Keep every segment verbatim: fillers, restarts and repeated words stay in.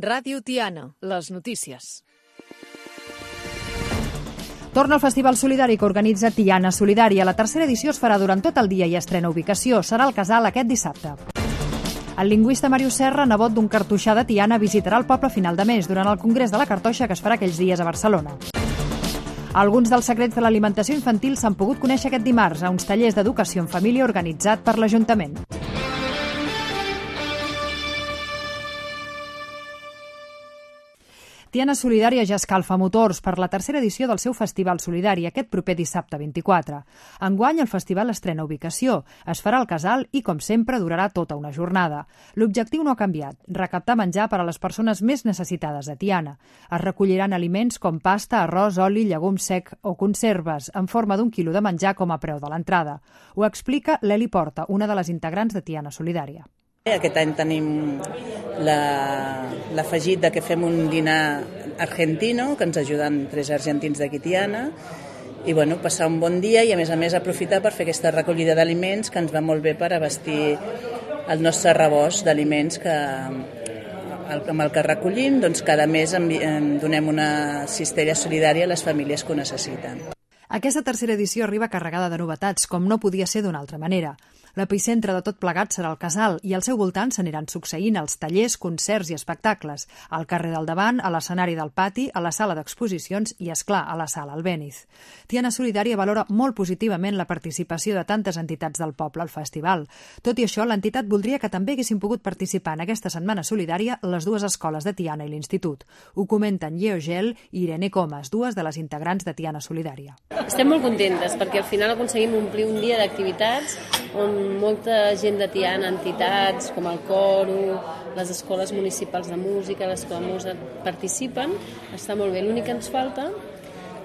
Ràdio Tiana, les notícies. Torna el Festival Solidari que organitza Tiana Solidària. La tercera edició es farà durant tot el dia i estrena ubicació. Serà al Casal aquest dissabte. El lingüista Màrius Serra, nebot d'un cartoixà de Tiana, visitarà el poble a final de mes durant el Congrés de la Cartoixa que es farà aquells dies a Barcelona. Alguns dels secrets de l'alimentació infantil s'han pogut conèixer aquest dimarts a uns tallers d'educació en família organitzat per l'Ajuntament. Tiana Solidària ja escalfa motors per la tercera edició del seu Festival Solidari aquest proper dissabte vint-i-quatre. Enguany el festival estrena ubicació, es farà al Casal i, com sempre, durarà tota una jornada. L'objectiu no ha canviat, recaptar menjar per a les persones més necessitades de Tiana. Es recolliran aliments com pasta, arròs, oli, llegum sec o conserves, en forma d'un quilo de menjar com a preu de l'entrada. Ho explica l'Eli Porta, una de les integrants de Tiana Solidària. Aquest any tenim l'afegit de que fem un dinar argentino, que ens ajuden tres argentins d'aquí Tiana, i bueno, passar un bon dia i a més a més aprofitar per fer aquesta recollida d'aliments que ens va molt bé per abastir el nostre rebost d'aliments que amb el que recollim, doncs cada mes donem una cistella solidària a les famílies que ho necessiten. Aquesta tercera edició arriba carregada de novetats, com no podia ser d'una altra manera. L'epicentre de tot plegat serà el Casal i al seu voltant s'aniran succeint els tallers, concerts i espectacles, al carrer del davant, a l'escenari del pati, a la sala d'exposicions i, és clar, a la sala Albéniz. Tiana Solidària valora molt positivament la participació de tantes entitats del poble al festival. Tot i això, l'entitat voldria que també haguessin pogut participar en aquesta setmana solidària les dues escoles de Tiana i l'Institut. Ho comenten Lleó Gel i Irene Comas, dues de les integrants de Tiana Solidària. Estem molt contentes perquè al final aconseguim omplir un dia d'activitats on molta gent de Tiana, entitats com el coro, les escoles municipals de música, l'escola Musa participen, està molt bé. L'únic que ens falta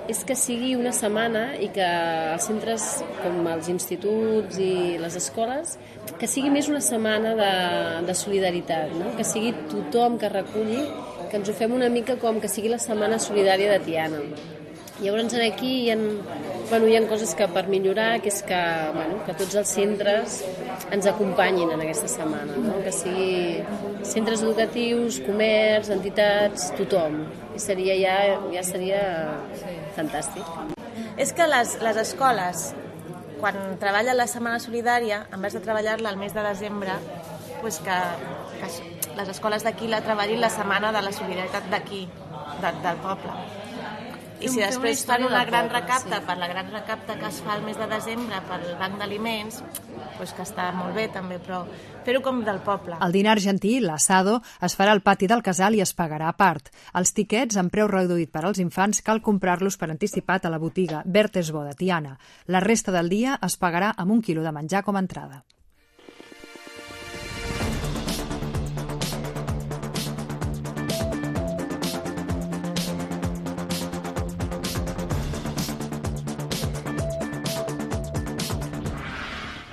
és que sigui una setmana i que els centres com els instituts i les escoles, que sigui més una setmana de, de solidaritat, no? Que sigui tothom que reculli, que ens ho fem una mica com que sigui la setmana solidària de Tiana. Llavors aquí hi ha, bueno, hi ha coses que per millorar, que és que, bueno, que tots els centres ens acompanyin en aquesta setmana, no? Que sigui centres educatius, comerç, entitats, tothom. I seria ja, ja seria fantàstic. És que les, les escoles, quan treballen la Setmana Solidària, en vez de treballar-la al mes de desembre, pues que, que les escoles d'aquí la treballin la setmana de la solidaritat d'aquí, de, del poble. I si després fan una gran recapta per la gran recapta que es fa el mes de desembre pel banc d'aliments, doncs que està molt bé també, però fer-ho com del poble. El dinar argentí, l'assado, es farà al pati del Casal i es pagarà a part. Els tiquets, amb preu reduït per als infants, cal comprar-los per anticipat a la botiga Bertesbo de Tiana. La resta del dia es pagarà amb un quilo de menjar com a entrada.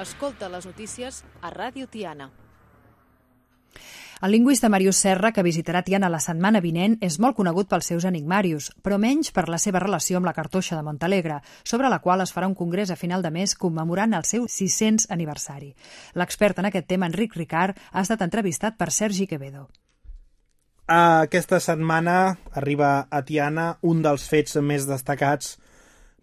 Escolta les notícies a Ràdio Tiana. El lingüista Màrius Serra, que visitarà Tiana la setmana vinent, és molt conegut pels seus enigmarius, però menys per la seva relació amb la Cartoixa de Montalegre, sobre la qual es farà un congrés a final de mes commemorant el seu sis-cents aniversari. L'expert en aquest tema, Enric Ricard, ha estat entrevistat per Sergi Quevedo. Aquesta setmana arriba a Tiana un dels fets més destacats,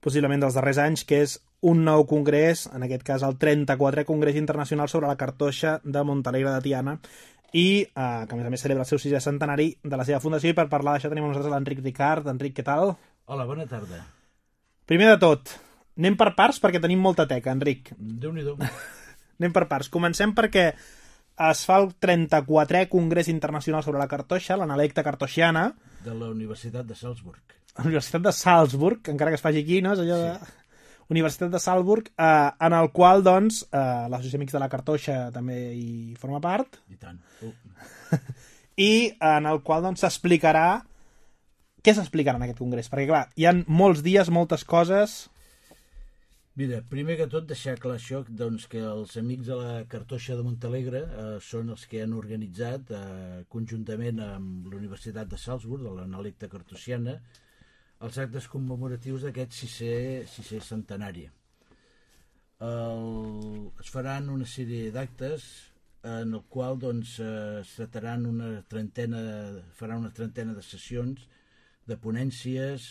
possiblement dels darrers anys, que és un nou congrés, en aquest cas el trenta-quatrè Congrés Internacional sobre la Cartoixa de Montalegre de Tiana, i eh, que a més a més celebra el seu sisè centenari de la seva fundació, i per parlar d'això tenim amb nosaltres l'Enric Ricard. Enric, què tal? Hola, bona tarda. Primer de tot, anem per parts perquè tenim molta teca, Enric. Déu-n'hi-do. Anem per parts. Comencem perquè es fa el trenta-quatrè Congrés Internacional sobre la Cartoixa, l'analecta cartoixiana. De la Universitat de Salzburg. La Universitat de Salzburg, encara que es faci aquí, no? És allò de... Sí. Universitat de Salzburg, eh, en el qual, doncs, eh, l'Associació Amics de la Cartoixa també hi forma part. I tant. Uh. I en el qual, doncs, s'explicarà... Què s'explicarà en aquest congrés? Perquè, clar, hi ha molts dies, moltes coses... Mira, primer que tot deixar clar això, doncs, que els Amics de la Cartoixa de Montalegre eh, són els que han organitzat, eh, conjuntament amb la Universitat de Salzburg, de l'analecta cartoixiana, els actes commemoratius d'aquest sisè, sisè centenari. El, es faran una sèrie d'actes en el qual doncs, eh, es trataran una trentena, farà una trentena de sessions de ponències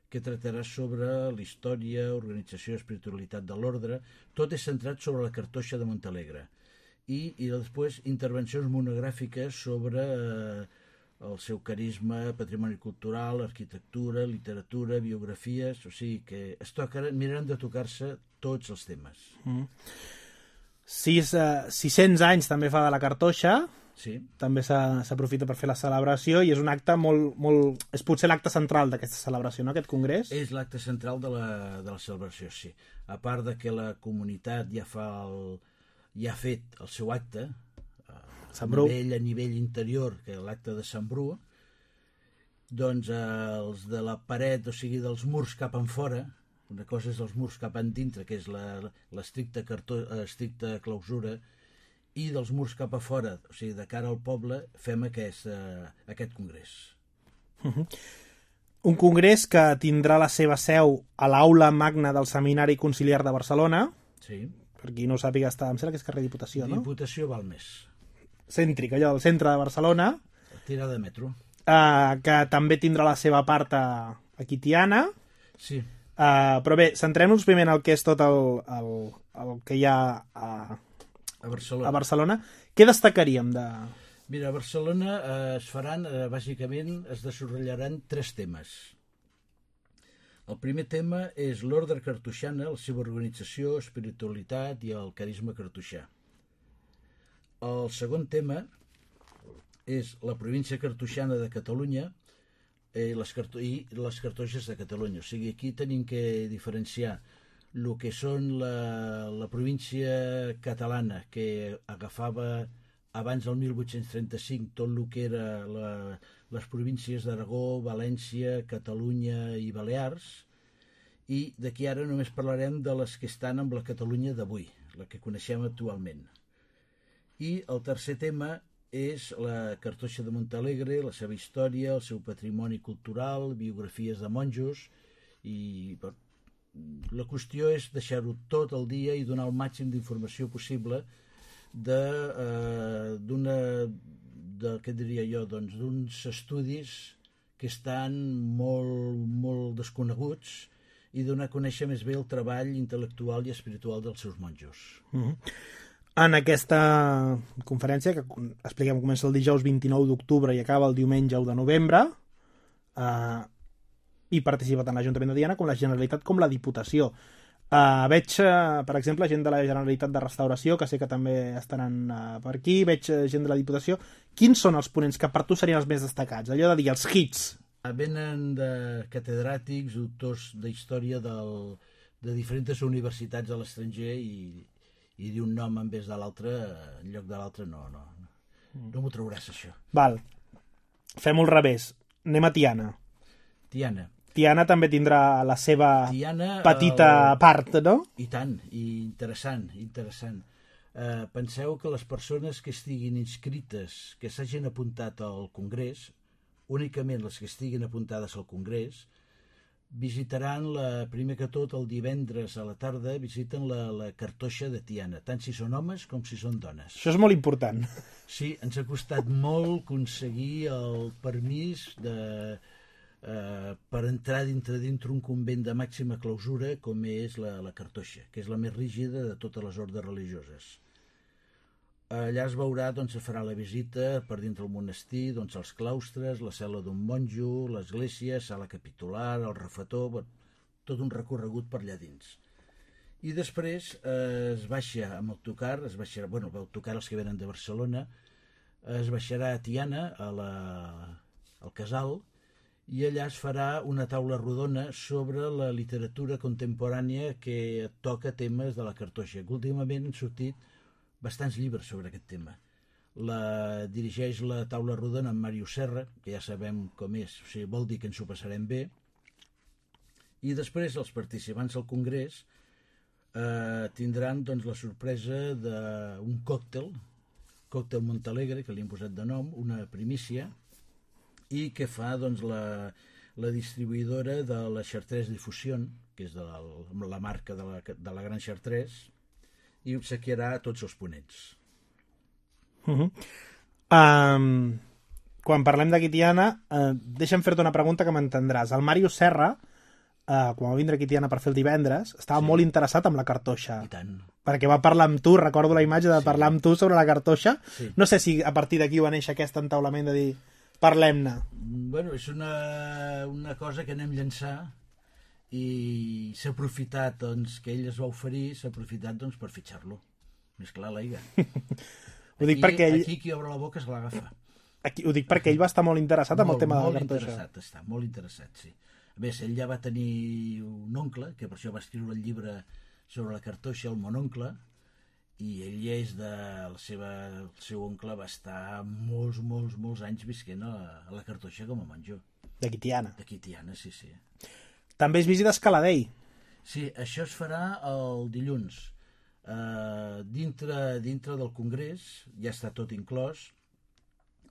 que tractarà sobre la història, organització i espiritualitat de l'ordre. Tot és centrat sobre la cartoixa de Montalegre. I, i després intervencions monogràfiques sobre eh, el seu carisma, patrimoni cultural, arquitectura, literatura, biografies, o sigui que es tocaran, miraran de tocar-se tots els temes. Mm. Sis, uh, sis-cents anys també fa de la cartoixa, sí. També s'aprofita per fer la celebració i és un acte molt... molt... és potser l'acte central d'aquesta celebració, no?, aquest congrés? És l'acte central de la, de la celebració, sí. A part de que la comunitat ja fa el, ja ha fet el seu acte, a nivell, a nivell interior, que l'acte de Sant Bru, doncs eh, els de la paret, o sigui, dels murs cap en fora, una cosa és els murs cap en dintre, que és l'estricta clausura, i dels murs cap a fora, o sigui, de cara al poble, fem aquest, eh, aquest congrés. Uh-huh. Un congrés que tindrà la seva seu a l'aula magna del Seminari Conciliar de Barcelona. Sí. Per qui no ho sàpiga, està, em sembla que és carrer Diputació, no? Diputació Balmes. Cèntric, allò del centre de Barcelona. Tirada de metro. Uh, que també tindrà la seva part a, aquí Tiana. Sí. Uh, però bé, centrem-nos primer en el que és tot el, el, el que hi ha a, a, Barcelona. a Barcelona. Què destacaríem de... Mira, a Barcelona eh, es faran, eh, bàsicament, es desarrollaran tres temes. El primer tema és l'ordre cartoixana, la seva organització, espiritualitat i el carisma cartoixà. El segon tema és la província cartoixana de Catalunya i les, carto i les cartoixes de Catalunya. O sigui, aquí tenim que diferenciar el que són la, la província catalana, que agafava abans del mil vuit-cents trenta-cinc tot el que era la, les províncies d'Aragó, València, Catalunya i Balears, i d'aquí ara només parlarem de les que estan amb la Catalunya d'avui, la que coneixem actualment. I el tercer tema és la cartoixa de Montalegre, la seva història, el seu patrimoni cultural, biografies de monjos, i la qüestió és deixar-ho tot el dia i donar el màxim d'informació possible de, eh, d'una, de, què diria jo, doncs, d'uns estudis que estan molt, molt desconeguts i donar a conèixer més bé el treball intel·lectual i espiritual dels seus monjos. Mm-hmm. En aquesta conferència, que expliquem, comença el dijous vint-i-nou d'octubre i acaba el diumenge u de novembre, eh, hi participa tant l'Ajuntament de Tiana com la Generalitat com la Diputació. Eh, veig, eh, per exemple, gent de la Generalitat de Restauració, que sé que també estaran eh, per aquí, veig gent de la Diputació. Quins són els ponents que per tu serien els més destacats? Allò de dir, els hits. Venen de catedràtics, doctors d'història del, de diferents universitats a l'estranger i i dir un nom en vez de l'altre, en lloc de l'altre, no, no. No m'ho trauràs, això. Val. Fem-ho al revés. Anem a Tiana. Tiana. Tiana també tindrà la seva Tiana, petita el... part, no? I tant, i interessant, interessant. Eh, penseu que les persones que estiguin inscrites, que s'hagin apuntat al Congrés, únicament les que estiguin apuntades al Congrés, visitaran, la, primer que tot, el divendres a la tarda, visiten la, la cartoixa de Tiana, tant si són homes com si són dones. Això és molt important. Sí, ens ha costat molt aconseguir el permís de, eh, per entrar dintre dintre un convent de màxima clausura com és la, la cartoixa, que és la més rígida de totes les ordes religioses. Allà es veurà, doncs, es farà la visita per dintre el monestir, doncs, els claustres, la cel·la d'un monjo, l'església, sala capitular, el refetor, tot un recorregut per allà dins. I després eh, es baixa amb autocar, es baixarà, bueno, autocar els que venen de Barcelona, es baixarà a Tiana, a la, al casal, i allà es farà una taula rodona sobre la literatura contemporània que toca temes de la cartoixa, que últimament han sortit bastants llibres sobre aquest tema. La dirigeix la taula rodona en Màrius Serra, que ja sabem com és, o sigui, vol dir que ens ho passarem bé. I després els participants al congrés eh, tindran, doncs, la sorpresa d'un còctel, còctel Montalegre, que li hem posat de nom, una primícia, i que fa, doncs, la, la distribuïdora de la Chartres Difusion, que és de la, la marca de la, de la Gran Chartres, i obsequiarà a tots els ponents. Uh -huh. um, quan parlem d'aquí Tiana, uh, deixa'm fer-te una pregunta que m'entendràs. El Màrius Serra, uh, quan va vindre aquí Tiana per fer el divendres, estava sí. molt interessat en la cartoixa. I tant. Perquè va parlar amb tu, recordo la imatge de sí. parlar amb tu sobre la cartoixa. Sí. No sé si a partir d'aquí va néixer aquest entaulament de dir parlem-ne. Bueno, és una, una cosa que anem llançar i s'ha aprofitat, doncs, que ell es va oferir, s'ha aprofitat, doncs, per fitxar-lo. Més clar, l'aiga. Ho dic aquí, perquè ell... Aquí qui obre la boca se l'agafa. Aquí, ho dic perquè ell va estar molt interessat en el tema de la cartoixa. Molt interessat, està, molt interessat, sí. A més, ell ja va tenir un oncle, que per això va escriure el llibre sobre la cartoixa, el mononcle, i ell és de la seva... el seu oncle va estar molts, molts, molts anys visquent a, a la cartoixa com a menjor. D'aquí Tiana. D'aquí Tiana, sí, sí. També és visita a Escaladei. Sí, això es farà el dilluns. Uh, dintre, dintre del congrés, ja està tot inclòs,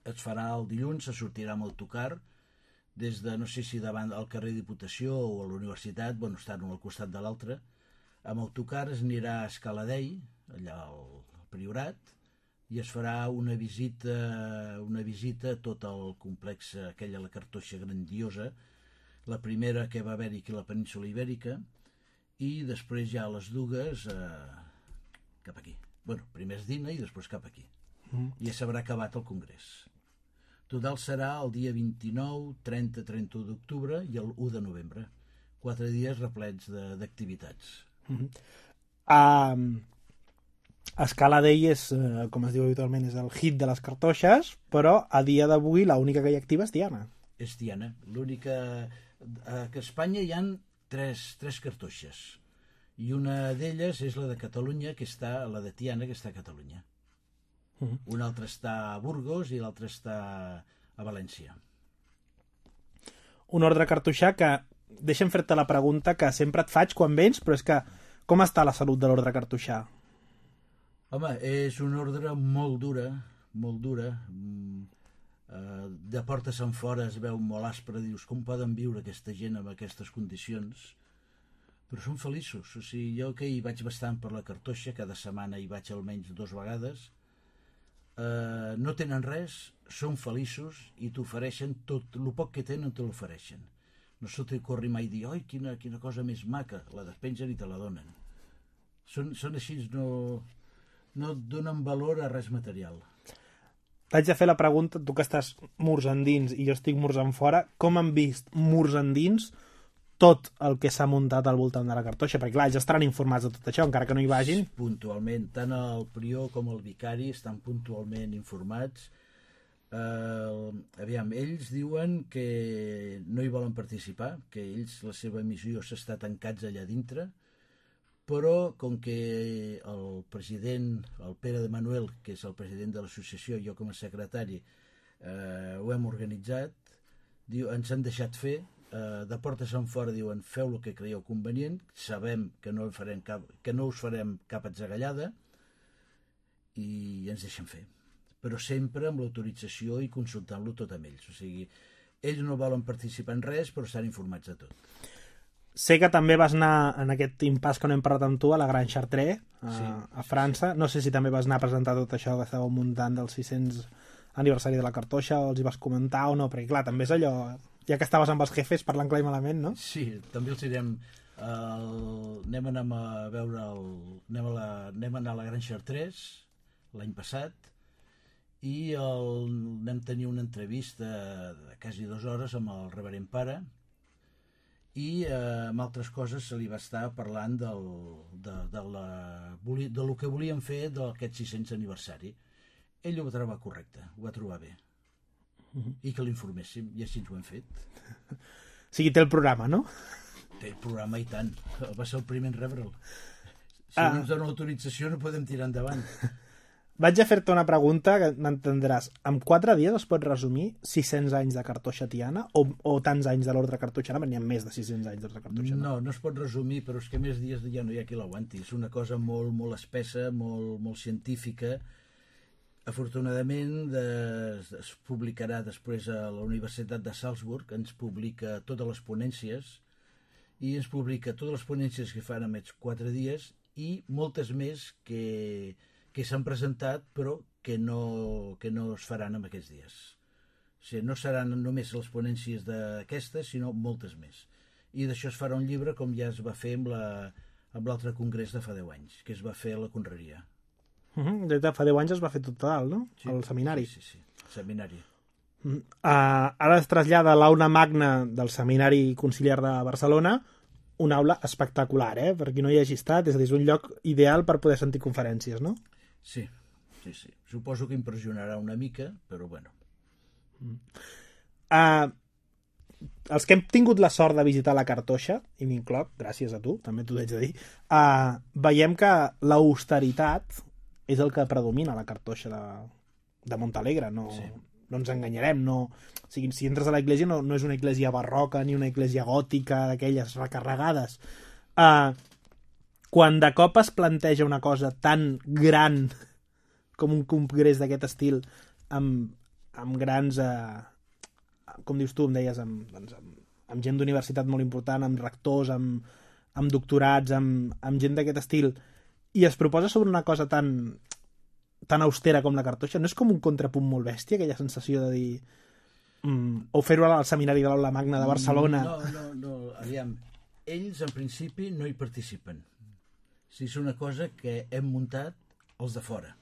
es farà el dilluns, se sortirà amb autocar des de, no sé si davant al carrer Diputació o a la universitat, bueno, estan un al costat de l'altre. Amb autocar es anirà a Escaladei, allà al Priorat, i es farà una visita, una visita a tot el complex, aquella la cartoixa grandiosa, la primera que va haver-hi aquí a la península Ibèrica, i després ja a les dues eh, cap aquí. Bueno, primer es dina i després cap aquí. Mm. I ja s'haurà acabat el congrés. Total serà el dia vint-i-nou, trenta, trenta-u d'octubre i el u de novembre. Quatre dies replets d'activitats. Mm-hmm. Um, Escaladei és, uh, com es diu habitualment, és el hit de les cartoixes, però a dia d'avui l'única que hi ha activa és Tiana. És Tiana. L'única... que a Espanya hi han tres, tres cartoixes. I una d'elles és la de Catalunya, que està, la de Tiana, que està a Catalunya. Mm-hmm. Una altra està a Burgos i l'altra està a València. Un ordre cartoixà que... Deixa'm fer-te la pregunta que sempre et faig quan vens, però és que com està la salut de l'ordre cartoixà? Home, és una ordre molt dura, molt dura. De portes enfora es veu molt aspre, dius, com poden viure aquesta gent en aquestes condicions? Però són feliços. O sigui, jo que hi vaig bastant per la cartoixa, cada setmana hi vaig almenys dues vegades, eh, no tenen res, són feliços i t'ofereixen tot, el poc que tenen te l'ofereixen. No se t'hi corri mai dir, oi, quina, quina cosa més maca, la despengen i te la donen. Són, són així, no, no et donen valor a res material. T'haig de fer la pregunta, tu que estàs murs endins i jo estic murs en fora, com han vist murs endins tot el que s'ha muntat al voltant de la cartoixa? Perquè clar, ja estaran informats de tot això, encara que no hi vagin. Puntualment, tant el prior com el vicari estan puntualment informats. Uh, aviam, ells diuen que no hi volen participar, que ells, la seva missió s'està tancats allà dintre, però com que el president, el Pere de Manuel, que és el president de l'associació, jo com a secretari, eh, ho hem organitzat, diu, ens han deixat fer, eh, de portes en fora diuen, feu el que creieu convenient, sabem que no, farem cap, que no us farem cap atzagallada i ens deixen fer. Però sempre amb l'autorització i consultant-lo tot amb ells. O sigui, ells no volen participar en res, però estan informats de tot. Sé que també vas anar en aquest impàs que no hem parlat amb tu a la Gran Chartres, a, sí, a França. No sé si també vas anar a presentar tot això que estàveu muntant del sis-cents aniversari de la cartoixa, o els hi vas comentar o no, perquè clar, també és allò, ja que estaves amb els jefes parlant clar i malament, no? Sí, també els direm, el, anem a anar a veure, el, anem, a la, anem a anar a la Gran Chartres l'any passat, i el, vam tenir una entrevista de quasi dues hores amb el reverend pare, i eh, amb altres coses se li va estar parlant del, de, de, la, de lo que volien fer d'aquest sis-cents aniversari. Ell ho va trobar correcte, ho va trobar bé. Uh-huh. I que l'informéssim, i així ho hem fet. O sigui, té el programa, no? Té el programa i tant. Va ser el primer en rebre'l. Si ah. no ens dona autorització no podem tirar endavant. Vaig a fer-te una pregunta que m'entendràs. En quatre dies es pot resumir sis-cents anys de cartoixa tiana o, o tants anys de l'ordre cartoixana? N'hi ha més de sis-cents anys d'ordre cartoixana. No, no es pot resumir, però és que més dies ja no hi ha qui l'aguanti. És una cosa molt, molt espessa, molt, molt científica. Afortunadament de, es publicarà després a la Universitat de Salzburg, ens publica totes les ponències i ens publica totes les ponències que fan en aquests quatre dies i moltes més que... que s'han presentat però que no, que no es faran en aquests dies. O sigui, no seran només les ponències d'aquestes, sinó moltes més. I d'això es farà un llibre com ja es va fer amb la, amb l'altre congrés de fa deu anys, que es va fer a la Conreria. Uh -huh. Des de fa deu anys es va fer tot dalt, no? Sí, el seminari. Sí, sí, sí, el seminari. Uh, -huh. uh, ara es trasllada a l'aula magna del Seminari Conciliar de Barcelona, una aula espectacular, eh? Per qui no hi hagi estat, és a dir, és un lloc ideal per poder sentir conferències, no? Sí, sí, sí. Suposo que impressionarà una mica, però bueno. Uh, els que hem tingut la sort de visitar la Cartoixa, i m'incloc, gràcies a tu, també t'ho haig de dir, uh, veiem que l'austeritat és el que predomina a la Cartoixa de, de Montalegre, no, sí. no ens enganyarem, no, o sigui, si entres a la iglesia no, no és una iglesia barroca ni una iglesia gòtica d'aquelles recarregades. Uh, quan de cop es planteja una cosa tan gran com un congrés d'aquest estil amb, amb grans... Uh, com dius tu, em deies, amb, doncs, amb, amb gent d'universitat molt important, amb rectors, amb, amb doctorats, amb, amb gent d'aquest estil, i es proposa sobre una cosa tan, tan austera com la Cartoixa, no és com un contrapunt molt bèstia, aquella sensació de dir... Mm, o fer-ho al seminari de l'Aula Magna de Barcelona? No, no, no, aviam. Ells, en principi, no hi participen. O sigui, és una cosa que hem muntat els de fora.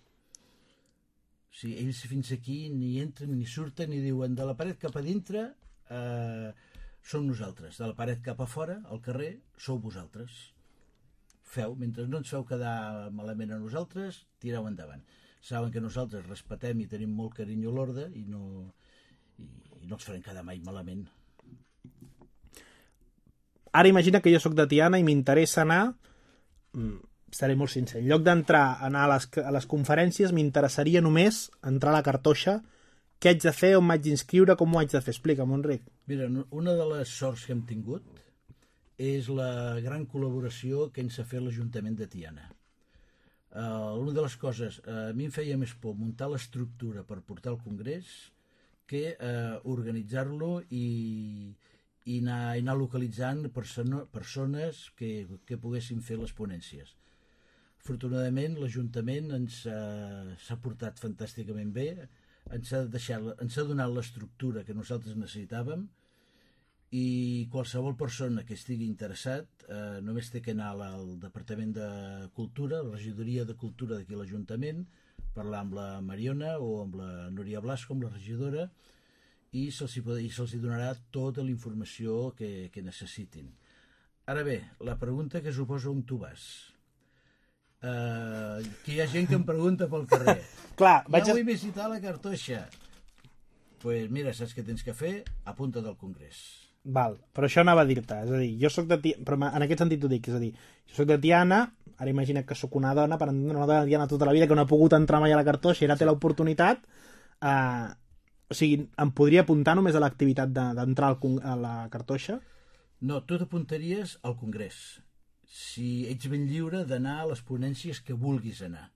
O sigui, ells fins aquí ni entren ni surten ni diuen de la paret cap a dintre eh, som nosaltres, de la paret cap a fora, al carrer, sou vosaltres. Feu, mentre no ens feu quedar malament a nosaltres, tireu endavant. Saben que nosaltres respetem i tenim molt carinyo a l'orde i no, i, i no els farem quedar mai malament. Ara imagina que jo sóc de Tiana i m'interessa anar... Seré molt sincer. En lloc d'entrar a anar a les, a les conferències, m'interessaria només entrar a la Cartoixa. Què haig de fer, on m'haig d'inscriure, com ho haig de fer? Explica'm, Enric. Mira, una de les sorts que hem tingut és la gran col·laboració que ens ha fet l'Ajuntament de Tiana. Uh, una de les coses, uh, a mi em feia més por muntar l'estructura per portar al congrés que uh, organitzar-lo i, i, anar, i anar localitzant perso persones que, que poguessin fer les ponències. Afortunadament, l'Ajuntament ens s'ha portat fantàsticament bé, ens ha, deixat, ens ha donat l'estructura que nosaltres necessitàvem i qualsevol persona que estigui interessat eh, només té que anar al Departament de Cultura, la Regidoria de Cultura d'aquí a l'Ajuntament, parlar amb la Mariona o amb la Núria Blasco, amb la regidora, i se'ls se donarà tota la informació que, que necessitin. Ara bé, la pregunta que suposa on tu vas... Uh, que hi ha gent que em pregunta pel carrer. Clar, ja vaig a... vull visitar la Cartoixa. Doncs pues mira, saps què tens que fer? Apunta't al congrés. Val, però això anava a dir-te, és a dir, jo soc de Tiana, però en aquest sentit ho dic, és a dir, jo soc de Tiana, ara imagina't que sóc una dona, per entendre una dona de Tiana tota la vida, que no ha pogut entrar mai a la Cartoixa i ara té l'oportunitat, uh, o sigui, em podria apuntar només a l'activitat d'entrar de, a la Cartoixa? No, tu t'apuntaries al congrés. Si ets ben lliure d'anar a les ponències que vulguis anar.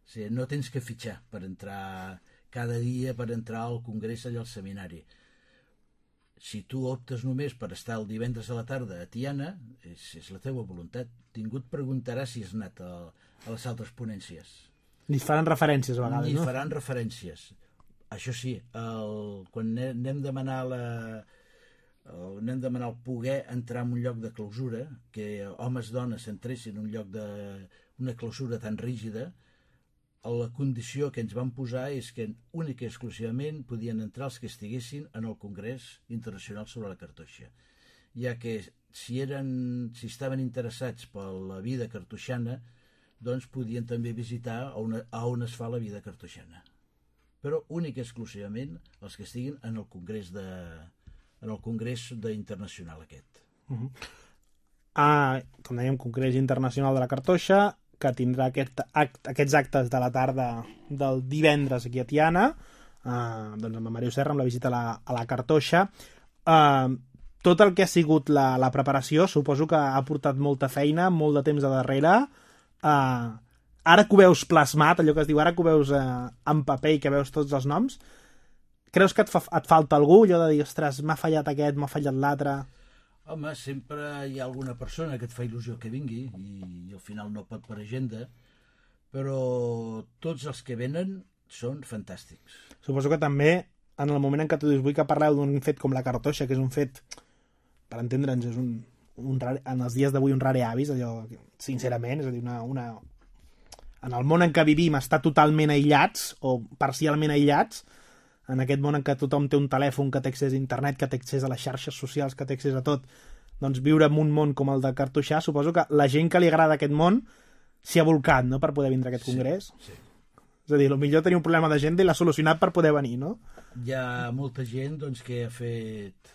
O sigui, no tens que fitxar per entrar cada dia, per entrar al congrés allà al seminari. Si tu optes només per estar el divendres a la tarda a Tiana, és, és la teva voluntat. Ningú et preguntarà si has anat a, a les altres ponències. Ni faran referències a vegades, Ni no? Ni faran referències. Això sí, el, quan anem a demanar la... anem a demanar el poder entrar en un lloc de clausura, que homes i dones s'entressin en un lloc de una clausura tan rígida, la condició que ens van posar és que únic i exclusivament podien entrar els que estiguessin en el Congrés Internacional sobre la Cartoixa, ja que si, eren, si estaven interessats per la vida cartoixana, doncs podien també visitar on, a on es fa la vida cartoixana. Però únic i exclusivament els que estiguin en el Congrés de en el Congrés internacional aquest. Uh -huh. ah, com dèiem, Congrés Internacional de la Cartoixa, que tindrà aquest act, aquests actes de la tarda del divendres aquí a Tiana, uh, doncs amb en Mario Serra, amb la visita a la, a la Cartoixa. Uh, tot el que ha sigut la, la preparació, suposo que ha portat molta feina, molt de temps de darrere. Uh, ara que ho veus plasmat, allò que es diu, ara que ho veus uh, en paper i que veus tots els noms, creus que et, fa, et falta algú, allò de dir, ostres, m'ha fallat aquest, m'ha fallat l'altre? Home, sempre hi ha alguna persona que et fa il·lusió que vingui i, i al final no pot per agenda, però tots els que venen són fantàstics. Suposo que també, en el moment en què tu dius vull que parleu d'un fet com la cartoixa, que és un fet, per entendre'ns, és un, un rare, en els dies d'avui un rare avis, allò, sincerament, és a dir, una, una... en el món en què vivim està totalment aïllats, o parcialment aïllats, en aquest món en què tothom té un telèfon, que té accés a internet, que té accés a les xarxes socials, que té accés a tot, doncs viure en un món com el de cartoixar, suposo que la gent que li agrada aquest món s'hi ha volcat, no?, per poder vindre a aquest congrés. Sí, sí. És a dir, potser tenia un problema de gent i l'ha solucionat per poder venir, no? Hi ha molta gent doncs, que ha fet,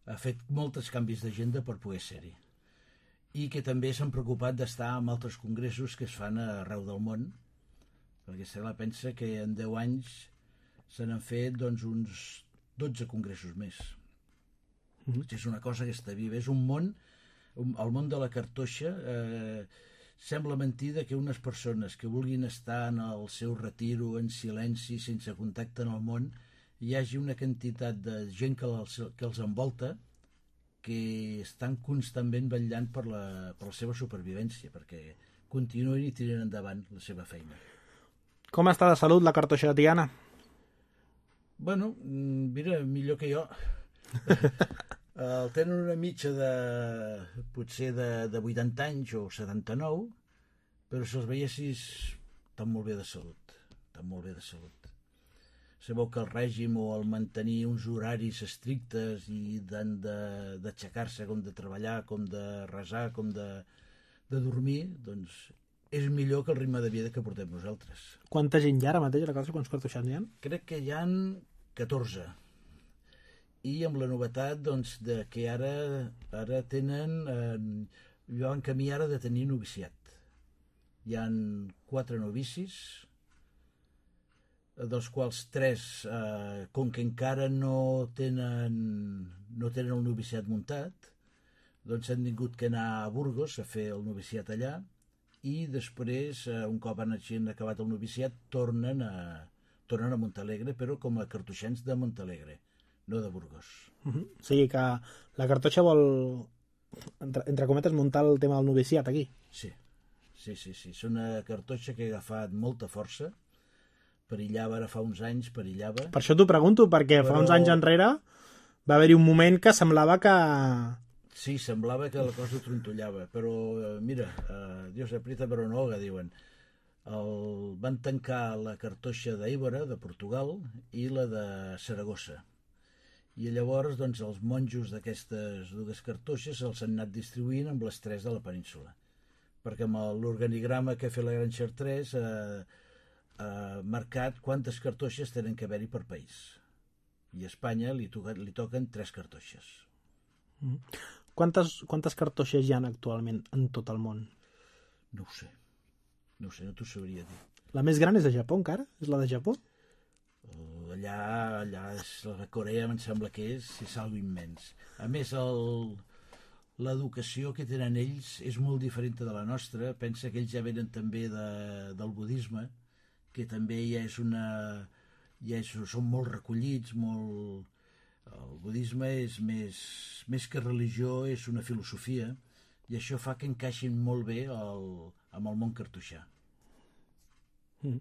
ha fet molts canvis d'agenda per poder ser-hi. I que també s'han preocupat d'estar en altres congressos que es fan arreu del món, perquè se la pensa que en deu anys se n'han fet doncs, uns dotze congressos més. Mm-hmm. És una cosa que està viva. És un món, un, el món de la cartoixa, eh, sembla mentida que unes persones que vulguin estar en el seu retiro, en silenci, sense contacte en el món, hi hagi una quantitat de gent que els, que els envolta que estan constantment vetllant per la, per la seva supervivència, perquè continuïn i tirin endavant la seva feina. Com està de salut la cartoixa de Tiana? Bueno, mira, millor que jo. El tenen una mitja de, potser de, de vuitanta anys o setanta-nou, però si els veiessis estan molt bé de salut, estan molt bé de salut. Sabeu que el règim o el mantenir uns horaris estrictes i d'han d'aixecar-se, com de treballar, com de resar, com de, de dormir, doncs és millor que el ritme de vida que portem nosaltres. Quanta gent hi ha ara mateix a la casa? Quants cartoixans hi ha? Crec que hi ha catorze. I amb la novetat doncs, de que ara, ara tenen, eh, van camí ara de tenir noviciat. Hi ha quatre novicis, dels quals tres, eh, com que encara no tenen, no tenen el noviciat muntat, doncs han tingut que anar a Burgos a fer el noviciat allà, i després, eh, un cop han acabat el noviciat, tornen a, tornen a Montalegre, però com a cartoixans de Montalegre, no de Burgos. Uh-huh. O sigui que la cartoixa vol, entre, entre cometes, muntar el tema del noviciat aquí. Sí, sí, sí, sí. És una cartoixa que ha agafat molta força. Perillava ara fa uns anys, perillava. Per això t'ho pregunto, perquè però... fa uns anys enrere va haver-hi un moment que semblava que... Sí, semblava que la cosa trontollava, però eh, mira, eh, Dios aprieta però no ahoga, diuen. El... Van tancar la cartoixa d'Éivora, de Portugal, i la de Saragossa. I llavors doncs, els monjos d'aquestes dues cartoixes els han anat distribuint amb les tres de la península. Perquè amb l'organigrama que ha fet la Gran Chartres eh, ha marcat quantes cartoixes tenen que haver-hi per país. I a Espanya li, toca, li toquen tres cartoixes. Mm. Quantes, quantes cartoixes hi ha actualment en tot el món? No ho sé. No ho sé, no t'ho sabria dir. La més gran és de Japó, encara? És la de Japó? Allà, allà és, la Corea em sembla que és, és algo immens. A més, l'educació que tenen ells és molt diferent de la nostra. Pensa que ells ja venen també de, del budisme, que també ja és una... Ja és, són molt recollits, molt... El budisme és més, més que religió, és una filosofia, i això fa que encaixin molt bé el, amb el món cartoixà. Mm.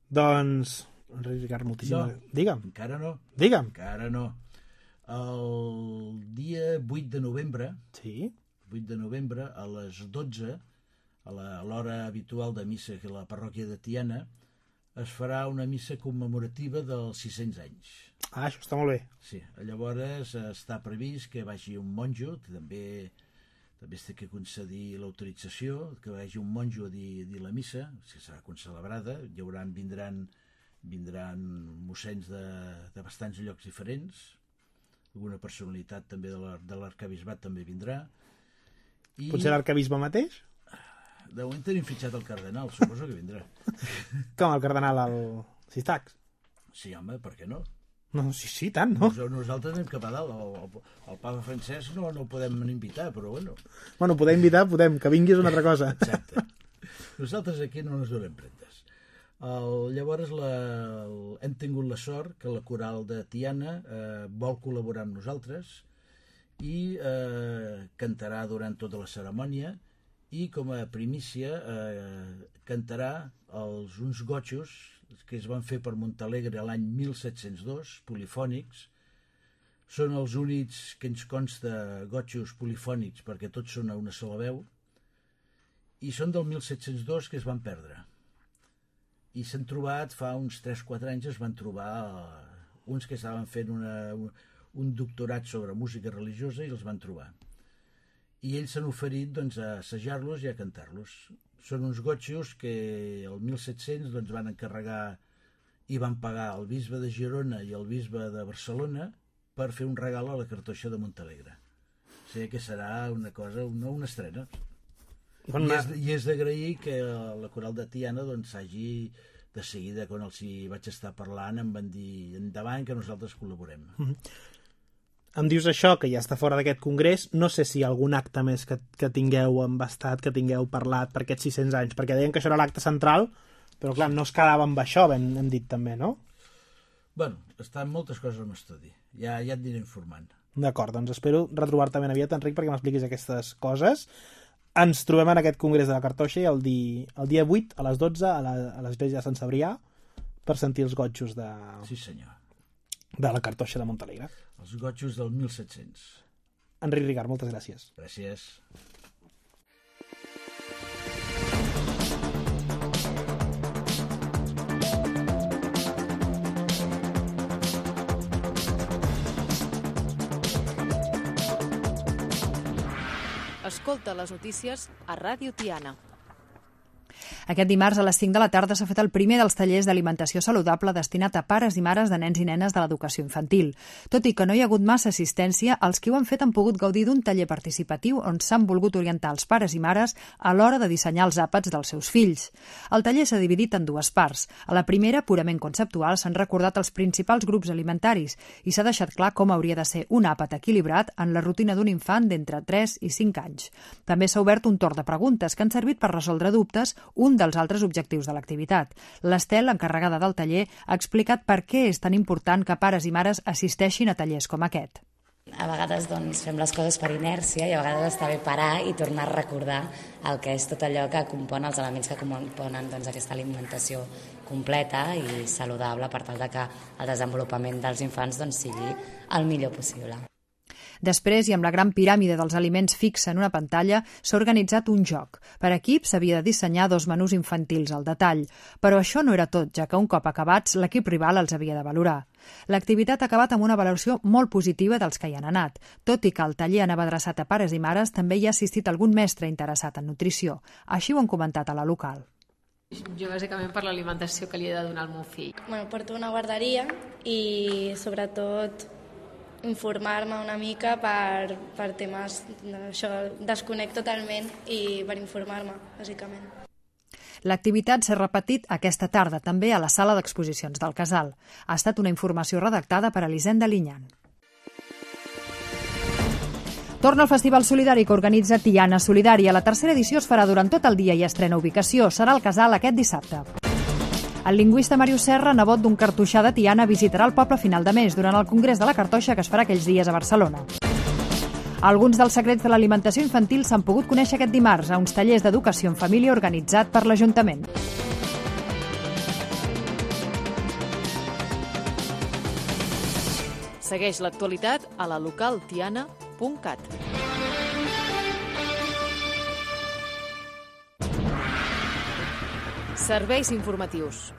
Doncs... Ricard, moltíssim. No, Digue'm. encara no. Digue'm. Encara no. El dia vuit de novembre, sí? vuit de novembre, a les dotze, a l'hora habitual de missa que la parròquia de Tiana, es farà una missa commemorativa dels sis-cents anys. Ah, això està molt bé. Sí, llavors està previst que vagi un monjo, també també es té que concedir l'autorització, que vagi un monjo a dir, a dir la missa, que serà concelebrada, hi haurà, vindran vindran mossens de, de bastants llocs diferents, alguna personalitat també de l'arcabisbat també vindrà. I... Potser l'arcabisbe mateix? De moment tenim fitxat el cardenal, suposo que vindrà. Com el cardenal al Sistax? Sí, home, per què no? No, sí, sí, tant, no? Nosaltres anem cap a dalt, el, el, el papa Francesc no, no el podem invitar, però bueno. Bueno, poder invitar, podem, que vingui és una altra cosa. Exacte. Nosaltres aquí no ens donem prentes. El, llavors la, el, hem tingut la sort que la coral de Tiana eh, vol col·laborar amb nosaltres i eh, cantarà durant tota la cerimònia i com a primícia eh, cantarà els, uns gotxos que es van fer per Montalegre l'any mil set-cents dos, polifònics. Són els únics que ens consta gotxos polifònics perquè tots són a una sola veu, i són del mil set-cents dos que es van perdre. I s'han trobat, fa uns tres quatre anys es van trobar uns que estaven fent una, un doctorat sobre música religiosa i els van trobar. I ells s'han oferit doncs, a assajar-los i a cantar-los. Són uns gotxos que el mil set-cents doncs, van encarregar i van pagar el bisbe de Girona i el bisbe de Barcelona per fer un regal a la cartoixa de Montalegre. O sigui que serà una cosa, una, una estrena. I és, i és d'agrair que la coral de Tiana doncs, hagi, de seguida, quan els hi vaig estar parlant, em van dir endavant que nosaltres col·laborem. Mm-hmm. Em dius això, que ja està fora d'aquest congrés. No sé si hi ha algun acte més que, que tingueu embastat, que tingueu parlat per aquests sis-cents anys, perquè deien que això era l'acte central, però clar, no es quedava amb això, hem, hem dit també, no? Bueno, estan moltes coses en estudi. Ja, ja et diré informant. D'acord, doncs espero retrobar-te ben aviat, Enric, perquè m'expliquis aquestes coses. Ens trobem en aquest congrés de la Cartoixa el, di, el dia vuit a les dotze a l'església de Sant Cebrià per sentir els gotxos de, sí, senyor. de la Cartoixa de Montalegre. Els gotxos del mil set-cents. Enric Ricard, moltes gràcies. Gràcies. Escolta les notícies a Ràdio Tiana. Aquest dimarts a les cinc de la tarda s'ha fet el primer dels tallers d'alimentació saludable destinat a pares i mares de nens i nenes de l'educació infantil. Tot i que no hi ha hagut massa assistència, els qui ho han fet han pogut gaudir d'un taller participatiu on s'han volgut orientar els pares i mares a l'hora de dissenyar els àpats dels seus fills. El taller s'ha dividit en dues parts. A la primera, purament conceptual, s'han recordat els principals grups alimentaris i s'ha deixat clar com hauria de ser un àpat equilibrat en la rutina d'un infant d'entre tres i cinc anys. També s'ha obert un torn de preguntes que han servit per resoldre dubtes, un dels altres objectius de l'activitat. L'Estel, encarregada del taller, ha explicat per què és tan important que pares i mares assisteixin a tallers com aquest. A vegades doncs, fem les coses per inèrcia i a vegades està bé parar i tornar a recordar el que és tot allò que compon els elements que componen doncs, aquesta alimentació completa i saludable per tal de que el desenvolupament dels infants doncs, sigui el millor possible. Després, i amb la gran piràmide dels aliments fixa en una pantalla, s'ha organitzat un joc. Per equip s'havia de dissenyar dos menús infantils al detall. Però això no era tot, ja que un cop acabats, l'equip rival els havia de valorar. L'activitat ha acabat amb una valoració molt positiva dels que hi han anat. Tot i que el taller anava adreçat a pares i mares, també hi ha assistit algun mestre interessat en nutrició. Així ho han comentat a la local. Jo bàsicament per l'alimentació que li he de donar al meu fill. Bueno, porto una guarderia i sobretot informar-me una mica per, per temes d'això, desconec totalment i per informar-me, bàsicament. L'activitat s'ha repetit aquesta tarda també a la sala d'exposicions del Casal. Ha estat una informació redactada per Elisenda Linyan. Torna el Festival Solidari que organitza Tiana Solidària. La tercera edició es farà durant tot el dia i estrena ubicació. Serà al Casal aquest dissabte. El lingüista Màrius Serra, nebot d'un cartoixà de Tiana, visitarà el poble a final de mes durant el Congrés de la Cartoixa que es farà aquells dies a Barcelona. Alguns dels secrets de l'alimentació infantil s'han pogut conèixer aquest dimarts a uns tallers d'educació en família organitzat per l'Ajuntament. Segueix l'actualitat a la local tiana punt cat. Serveis informatius.